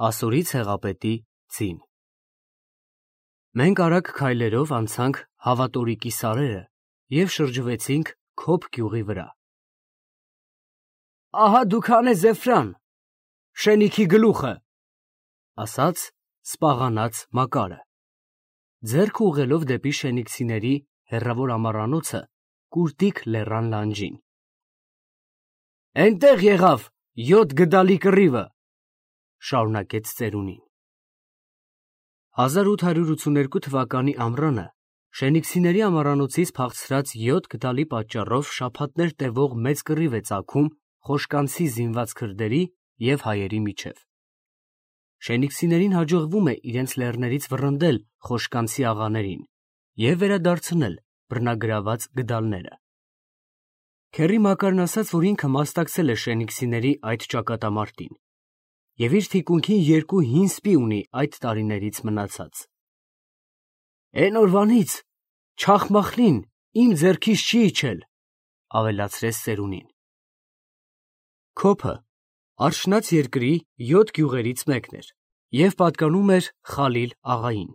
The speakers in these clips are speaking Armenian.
Ասորի ցեղապետի ծին։ Մենք արագ քայլերով անցանք Հավատորիկի սարերը և շրջվեցինք Քոփ գյուղի վրա։ «Ահա դուք հանեց Էֆրան, շենիքի գլուխը», ասաց սպաղանած Մակարը, ձեռքը ուղղելով դեպի շենիկցիների հեռավոր ամառանոցը Կուրտիկ լեռան լանջին։ «Էնտեղ եղավ 7 գդալի կռիվը», շարունակեց ծերունին։ 1882 թվականի ամռանը շենիկցիների ամառանոցից փախցրած 7 գդալի պատճառով շաբաթներ տևող մեծ կռիվ է ծագում Խոշկանցի զինված քրդերի և հայերի միջև։ Շենիկցիներին հաջողվում է իրենց լեռներից վռնդել Խոշկանցի աղաներին և վերադարձնել բռնագրաված գդալները։ Քեռի Մակարն ասաց, որ ինքը մասնակցել է շենիկցիների այդ ճակատամարտին և իր թիկունքին 2 հին սպի ունի այդ տարիներից մնացած։ «Էն օրվանից Չախմախլին իմ ձեռքից չի իջել», ավելացրեց ծերունին։ Քոփը Արշնած երկրի 7 գյուղերից մեկն էր և պատկանում էր Խալիլ աղային։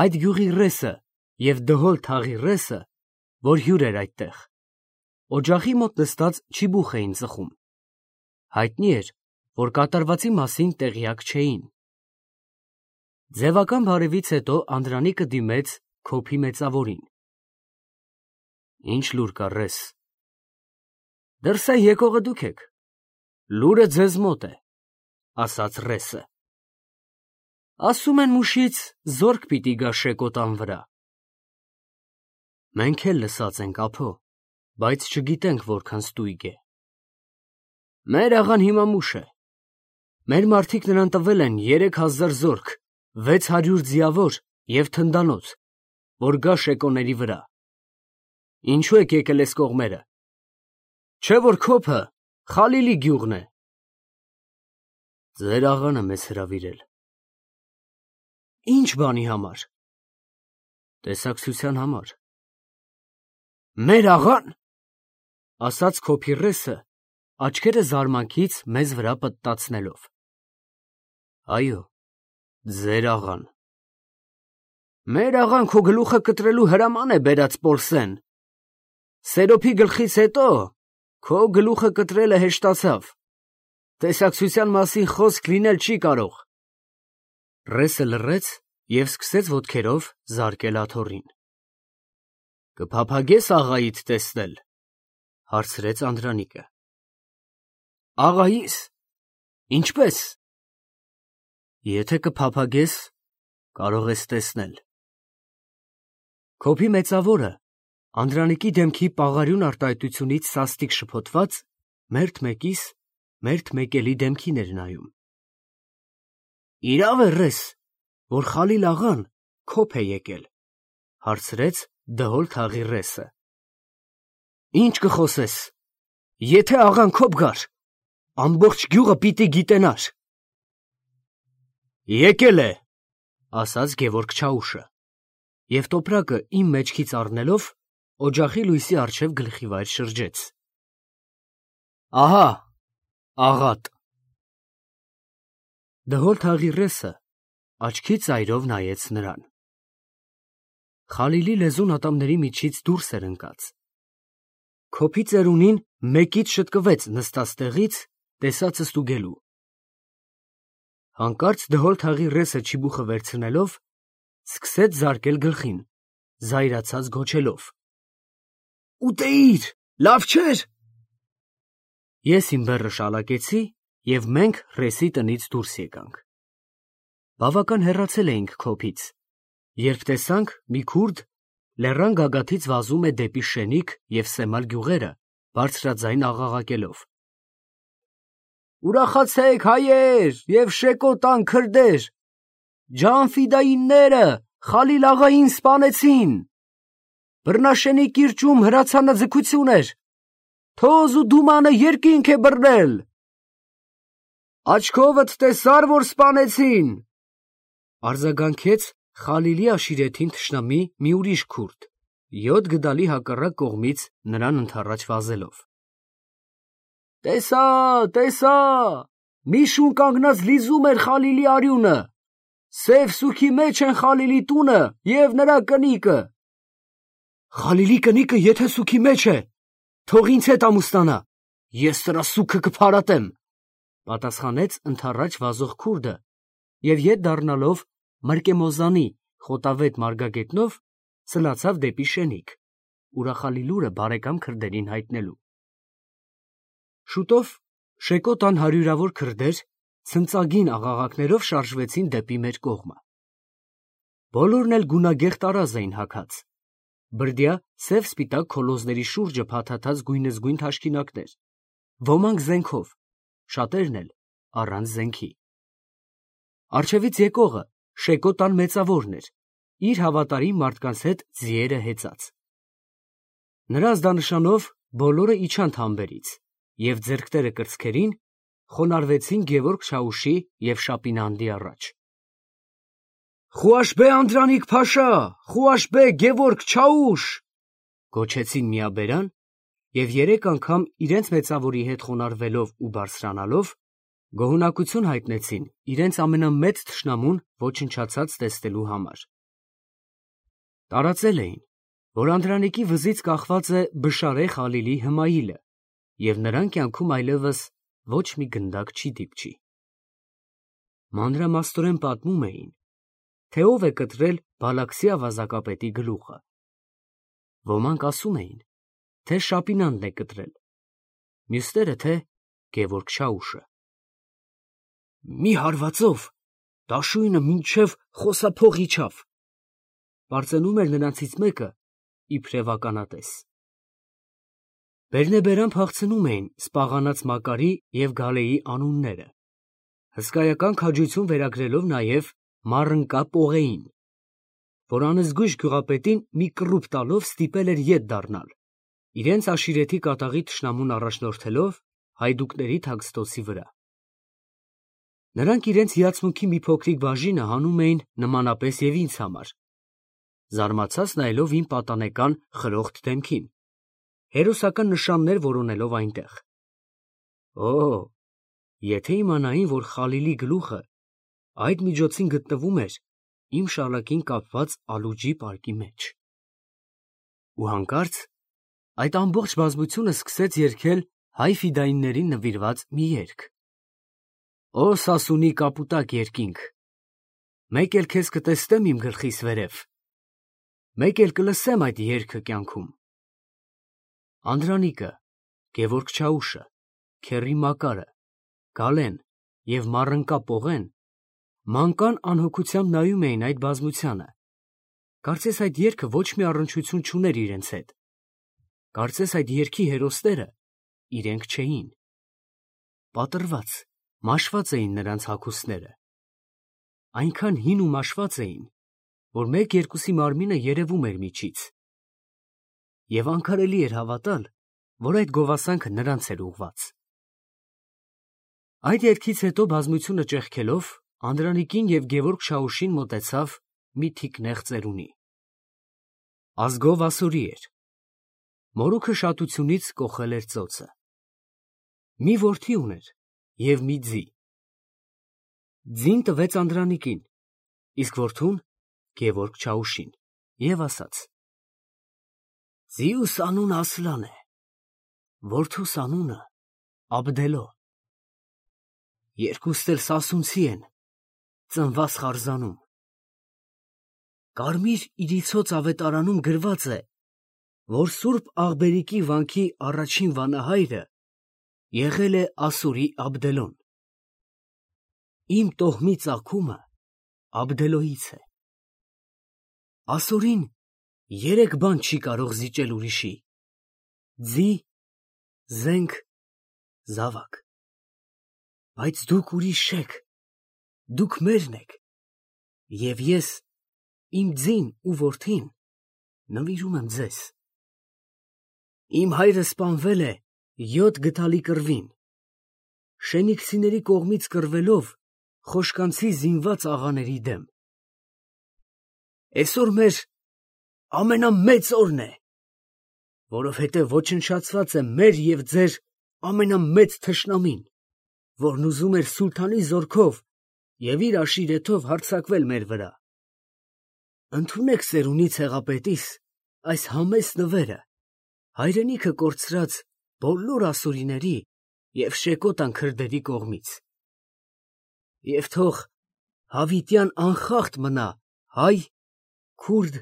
Այդ գյուղի ռեսը և Դհոլ թաղի ռեսը, որ հյուր էր այդտեղ, օջախի մոտ նստած չիբուխ էին ծխում։ Հայտնի էր, որ կատարվածի մասին տեղյակ չէին։ Ձևական բարևից հետո Անդրանիկը դիմեց Քոփի մեծավորին։ «Ինչ լուր կա, ռես»։ «Դրսեն եկողը դուք եք, լուրը ձեզ մոտ է», ասաց ռեսը։ «Ասում են մուշից զորք պիտի գա Շեկոտան վրա»։ «Մենք էլ լսած ենք, ափո, բայց չգիտենք որքան ստույգ է»։ «Մեր աղան հիմա մուշ է։ Մեր մարդիկ նրան տվել են 3000 զորք, 600 ձիավոր և թնդանոց, որ գա Շեկոների վրա։ Ինչու եք եկել էս կողմերը։ Չէ՞ որ Քոփը Խալիլի գյուղն է»։ «Ձեր աղան է մեզ հրավիրել»։ «Ինչ բանի համար»։ «Տեսակցության համար»։ «Մեր աղան», ասաց Քոփի ռեսը, աչքերը զարմանքից մեզ վրա պտտացնելով։ «Այո, ձեր աղան»։ «Մեր աղան քո գլուխը կտրելու հրաման է բերած Պոլսեն։ Սերոփի գլխից հետո քո գլուխը կտրելը հեշտացավ, տեսակցության մասին խոսք լինել չի կարող»։ Ռեսը լռեց և սկսեց ոտքերով զարկել աթոռին։ «Կփափագե՞ս աղայիդ տեսնել», հարցրեց Անդրանիկը։ «Աղայիս, ինչպե՞ս»։ «Եթե կփափագես, կարող ես տեսնել»։ Քոփի մեծավորը, Անդրանիկի դեմքի պաղարյուն արտահայտությունից սաստիկ շփոթված, մերթ մեկիս մերթ մեկելի դեմքին էր նայում։ «Իրավ է, ռես, որ Խալիլ աղան Քոփ է եկել», հարցրեց Դհոլ թաղի ռեսը։ «Ինչ կխոսես, եթե աղան Քոփ գար, ամբողջ գյուղը պիտի գիտենար»։ «Եկել է», ասաց Գևորգ Չաուշը, և տոպրակը իմ մեջքից առնելով օջախի լույսի առջև գլխիվայր շրջեց։ «Ահա, աղատ»։ Դհոլ թաղի ռեսը աչքի ծայրով նայեց նրան։ Խալիլի լեզուն ատամների միջից դուրս էր ընկած։ Քոփի ծերունին մեկից շտկվեց նստած տեղից, տեսածը ստուգելու։ Հանկարծ Դհոլ թաղի ռեսը չիբուխը վերցնելով, սկսեց զարկել գլխին, զայրացած գոչելով. «Ուտեիր, լավ չէր»։ Ես իմ բեռը շալակեցի, և մենք ռեսի տնից դուրս եկանք։ Բավական հեռացել էինք Քոփից, երբ տեսանք մի քուրդ լեռան գագաթից վազում է դեպի Շենիկ և Սեմալ գյուղերը, բարձրաձայն աղաղակելով. «Ուրախացե՛ք, հայեր և Շեկոտան քրդեր, ջանֆիդայինները Խալիլ աղային սպանեցին։ Բռնաշենի կիրճում հրացանը ձգություն էր, թոզ ու դումանը երկինք է բռնել։ Աչքովդ տեսար, որ սպանեցին», արձագանքեց Խալիլի աշիրեթին թշնամի մի ուրիշ քուրդ, 7 գդալի հակառակ կողմից նրան ընդառաջ վազելով։ «Տեսա, տեսա, մի շուն կանգնած լիզում էր Խալիլի արյունը, սև սուքի մեջ են Խալիլի տունը և նրա կնիկը։ Խալիլի կնիկը եթե սուքի մեջ է, թող ինձ հետ ամուսնանա, ես սրա սուքը կփարատեմ, պատասխանեց ընդառաջ վազող քուրդը և ետ դառնալով Մրկեմոզանի խոտավետ մարգագետնով սլացավ դեպի Շենիկ, ուրախալի լուրը բարեկամ քրդերին հայտնելու։ Շուտով շեկոտան հարյուրավոր քրդեր ցնծագին աղաղակներով շարժվեցին դեպի մեր կողմը։ Բոլորն էլ գունագեղ տարազ էին հագած, բրդյա սև սպիտակ քոլոզների շուրջը փաթաթած գույնզգույն թաշկինակներ, ոմանք զենքով, շատերն էլ առանց զենքի։ Առջևից եկողը շեկոտան մեծավորն էր, իր հավատարիմ մարդկանց հետ ձիերը հեծած։ Նրա ազդանշանով բոլորը իջան թամբերից և ձեռքները կրծքերին խոնարհվեցին Գևորգ Չաուշի և Շապինանդի առաջ։ «Խուաշբե Անդրանիկ Փաշա, Խուաշբե Գևորգ Չաուշ», գոչեցին միաբերան և երեք անգամ իրենց մեծավորի հետ խոնարհվելով ու բարձրանալով գոհունակություն հայտնեցին իրենց ամենամեծ թշնամուն ոչնչացած տեսնելու համար։ Տարածել էին, որ Անդրանիկի վզից կախված է Բշարե Խալիլի Հմայիլը և նրան կյանքում այլևս ոչ մի գնդակ չի դիպչի։ Մանրամասնորեն պատմում էին, թե ով է կտրել Բալաքսի ավազակապետի գլուխը։ Ոմանք ասում էին, թե Շապինանդն է կտրել, մյուսները, թե Գևորգ Չաուշը։ «Մի հարվածով դաշույնը մինչև խոսափող իջավ», պարծենում էր նրանցից մեկը իբրև ականատես։ Բերնեբերան փախցնում էին սպաղանած Մակարի և Գալեի անունները, հսկայական քաջություն վերագրելով նաև Մարընկա Պողեին, որ անզգույշ գյուղապետին մի կռուպ տալով ստիպել էր ետ դառնալ, իրենց աշիրեթի կատաղի թշնամուն առաջնորդելով հայդուկների թաքստոցի վրա։ Նրանք իրենց հիացմունքի մի փոքրիկ բաժինը հանում էին նմանապես և ինձ համար, զարմացած նայելով իմ պատանեկան խրոխտ դեմքին, հերոսական նշաններ որոնելով այնտեղ։ Օ, եթե իմանային, որ Խալիլի գլուխը այդ միջոցին գտնվում էր իմ շալակին կապված ալուջի պարկի մեջ։ Ու հանկարծ այդ ամբողջ բազմությունը սկսեց երգել հայ ֆիդայիններին նվիրված մի երգ. «Օ Սասունի կապուտակ երկինք, մեկ էլ քեզ կտեսնեմ իմ գլխիս վերև, մեկ էլ կլսեմ այդ երգը կյանքում»։ Անդրանիկը, Գևորգ Չաուշը, Քեռի Մակարը, Գալեն և Մարընկա Պողեն մանկան անհոգությամբ նայում էին այդ բազմությանը, կարծես այդ երգը ոչ մի առնչություն չուներ իրենց հետ, կարծես այդ երգի հերոսները իրենք չէին։ Պատռված, մաշված էին նրանց հագուստները, այնքան հին ու մաշված էին, որ մեկ-երկուսի մարմինը երևում էր միջից, և անկարելի էր հավատալ, որ այդ գովասանքը նրանց էր ուղղված։ Այդ երգից հետո բազմությունը ճեղքելով Անդրանիկին և Գևորգ Չաուշին մոտեցավ մի թիկնեղ ծերունի։ Ազգով ասորի էր, մորուքը շատությունից կոխել էր ծոցը։ Մի որդի ուներ և մի ձի։ Ձին տվեց Անդրանիկին, իսկ որդուն Գևորգ Չաուշին և ասաց. «Ձիուս անունը Ասլան է, որդուս անունը Աբդելո, երկուստ էլ սասունցի են, ծնված Խարզանում։ Կարմիր իրիցոց ավետարանում գրված է, որ Սուրբ Աղբերիկի վանքի առաջին վանահայրը եղել է Ասորի Աբդելոն։ Իմ տոհմի ծագումը Աբդելոյից է։ Ասորին երեք բան չի կարող զիջել ուրիշի. ձի, զենք, զավակ։ Բայց դուք ուրիշ չեք, դուք մերն եք, և ես իմ ձին ու որդին նվիրում եմ ձեզ։ Իմ հայրը սպանվել է 7 գդալի կռվին, Շենիքցիների կողմից կռվելով Խոշկանցի զինված աղաների դեմ։ Էսօր մեր ամենամեծ օրն է, որովհետև ոչնչացված է մեր և ձեր ամենամեծ թշնամին, որն ուզում էր սուլթանի զորքով և իր աշիրեթով հարձակվել մեր վրա։ Ընդունեք ծերունի ցեղապետիս այս համեստ նվերը, հայրենիքը կորցրած բոլոր ասորիների և շեկոտան քրդերի կողմից, և թող հավիտյան անխախտ մնա հայ, քուրդ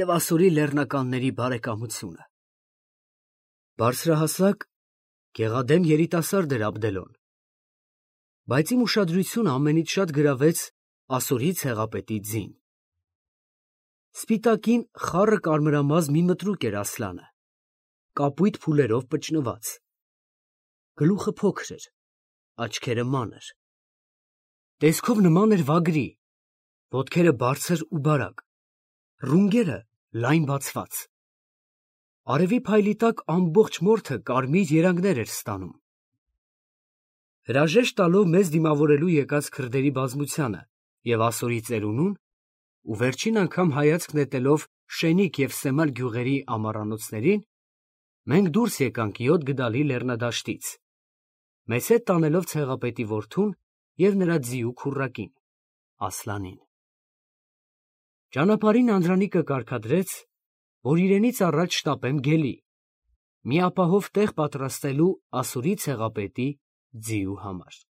և ասորի լեռնականների բարեկամությունը։ Բարձրահասակ, գեղադեմ երիտասարդ էր Աբդելոն, բայց իմ ուշադրությունը ամենից շատ գրավեց ասորի ցեղապետի ձին։ Սպիտակին խառը կարմրամազ մի մտրուկ էր Ասլանը, կապույտ փուլերով պճնված, գլուխը փոքր էր, աչքերը մանր, տեսքով նման էր վագրի, ոտքերը բարձր ու բարակ, ռունգերը լայն բացված, արևի փայլի տակ ամբողջ մորթը կարմիր երանգներ էր ստանում։ Հրաժեշտ տալով մեզ դիմավորելու եկած քրդերի բազմությանը և ասորի ծերունուն, ու վերջին անգամ հայացք նետելով Շենիկ և Սեմալ գյուղերի ամառանոցներին, մենք դուրս եկանք 7 գդալի լեռնադաշտից, մեզ հետ տանելով ցեղապետի որդուն և նրա ձիու քուռակին՝ Ասլանին։ Ճանապարհին Անդրանիկը կարգադրեց, որ իրենից առաջ շտապեմ գելի, մի ապահով տեղ պատրաստելու ասորի ցեղապետի ձիու համար։